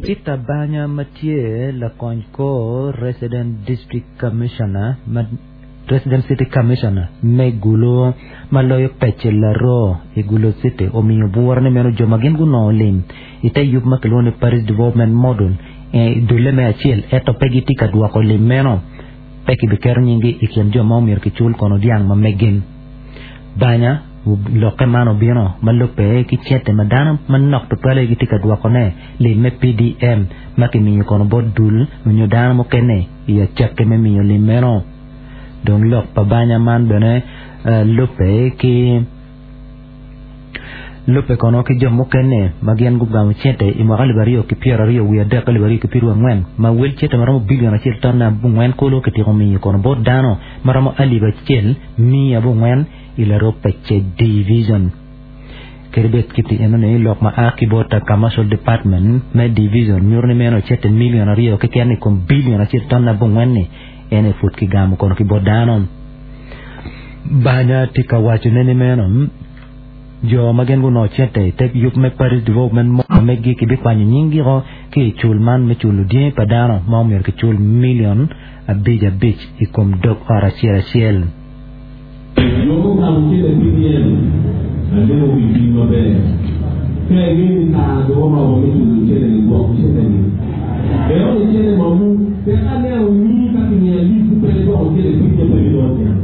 Peter Banya ma tye lakony kor Resident District Commissioner ma Resident City Commissioner me Gulu ma loyo pece Laroo i Gulu City omiyo bwura ni meno jo ma gin gunongo lim i te yub ma kilwongo ni Parish Development Model i dulle me acel ento pe gitye ka dwoko lim meno pe kibiketo nyinggi i kin jo ma omyero kicul kono dyang ma megin. Banya lokke man obino ma lubbe ki cente ma dano manok tutwal aye gitye ka dwokone lim me PDM ma kimiyo kono bot dul nyo dano mukene i acakki me miyo lim meno. Dong lok pa banya man bene lubbe ki lubbe kono ki jo mukene ma gin gugamo cente i mwaka 2023 ki 2024 ma wel cente ma romo bilion acel tonne abongwen kulu kityeko miyo kono bot dano ma romo alip acel 400 i laroo pece division. Kadi bed kit eno ni lok ma a ki bot Commercial Department me division nyuto ni meno cente milion aryo keken i kom bilion acel tonne abongwen ni en aye pud kigamo kono ki bot dano. Banya tye ka wacone ni meno jo ma gin gunongo cente i te yub me Parish Development mo megi kibikwanyo nyinggiko ki i cul man me culo dyangi pa dano ma omyero kicul milion abic abic i kom dog ot acel acel. Jo mukamo cente PDM alego pi cwiny maber. Ka ingeyo ni kare dong oromo me culo cente-ni, gwok cente-ni. Ento ni cente mamu, tek aneno nyingi ka kimiya list ni pe idwoko cente PDM pe ibinongo niang.